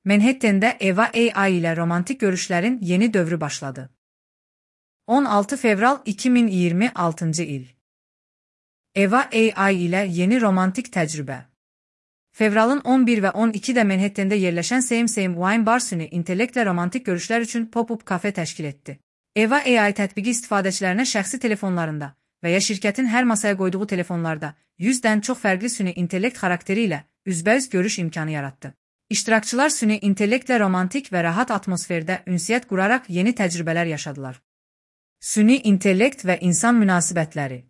Manhattan'da Eva AI ile romantik görüşlerin yeni dövrü başladı. 16 Fevral 2026 il. Eva AI ile yeni romantik tecrübe. Fevralın 11 ve 12'de Manhattan'da yerleşen Same Wine Bar süni intellektle romantik görüşler üçün pop-up kafe təşkil etdi. Eva AI tətbiqi istifadəçilərinə şəxsi telefonlarında və ya şirkətin hər masaya qoyduğu telefonlarda 100-dən çox fərqli süni intellekt xarakteri ilə üzbəüz görüş imkanı yarattı. İştirakçılar süni intellektlə romantik və rahat atmosferdə ünsiyyət quraraq yeni təcrübələr yaşadılar. Süni intellekt və insan münasibətləri.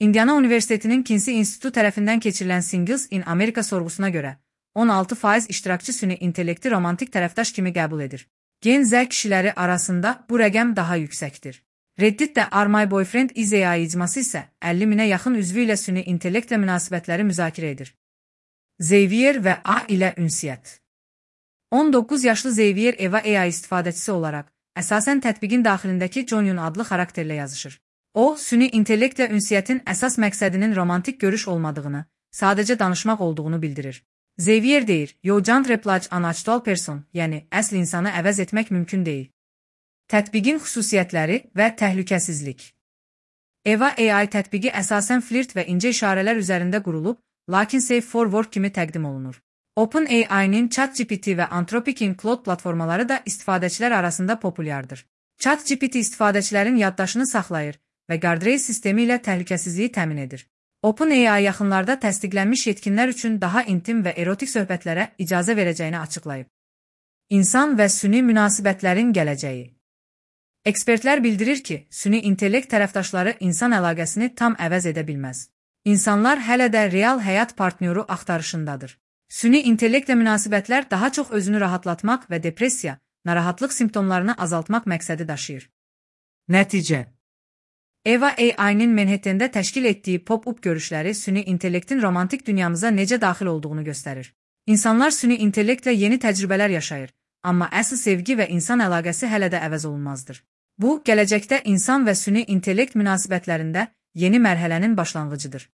Indiana Universitetinin Kinsey İnstitutu tərəfindən keçirilən Singles in America sorğusuna görə 16% iştirakçı süni intellekti romantik tərəfdaş kimi qəbul edir. Gen Z kişiləri arasında bu rəqəm daha yüksəkdir. Redditdə Are My Boyfriend Is AI icması isə 50 minə yaxın üzvü ilə süni intellektlə münasibətləri müzakirə edir. Xavier və A ilə ünsiyyət. 19 yaşlı Xavier Eva AI istifadəçisi olaraq, əsasən tətbiqin daxilindəki Jonyun adlı xarakterlə yazışır. O, süni intellektlə ünsiyyətin əsas məqsədinin romantik görüş olmadığını, sadəcə danışmaq olduğunu bildirir. Xavier deyir, You can't replace an actual person, yəni əsl insanı əvəz etmək mümkün deyil. Tətbiqin xüsusiyyətləri və təhlükəsizlik. Eva AI tətbiqi əsasən flirt və incə işarələr üzərində qurulub, lakin Safe for Work kimi təqdim olunur. OpenAI'nin ChatGPT və Anthropic'in Claude platformaları da istifadəçilər arasında populyardır. ChatGPT istifadəçilərin yaddaşını saxlayır və guardrail sistemi ilə təhlükəsizliyi təmin edir. OpenAI yaxınlarda təsdiqlənmiş yetkinlər üçün daha intim və erotik söhbətlərə icazə verəcəyini açıqlayıb. İnsan və süni münasibətlərin gələcəyi. Ekspertlər bildirir ki, süni intellekt tərəfdaşları insan əlaqəsini tam əvəz edə bilməz. İnsanlar hələ də real həyat partnyoru axtarışındadır. Süni intellektlə münasibətlər daha çox özünü rahatlatmaq və depressiya, narahatlıq simptomlarını azaltmaq məqsədi daşıyır. Nəticə. Eva AI'nin Manhattan'da təşkil etdiyi pop-up görüşləri süni intellektin romantik dünyamıza necə daxil olduğunu göstərir. İnsanlar süni intellektlə yeni təcrübələr yaşayır, amma əsl sevgi və insan əlaqəsi hələ də əvəz olunmazdır. Bu, gələcəkdə insan və süni intellekt münasibətlərində yeni mərhələnin başlanğıcıdır.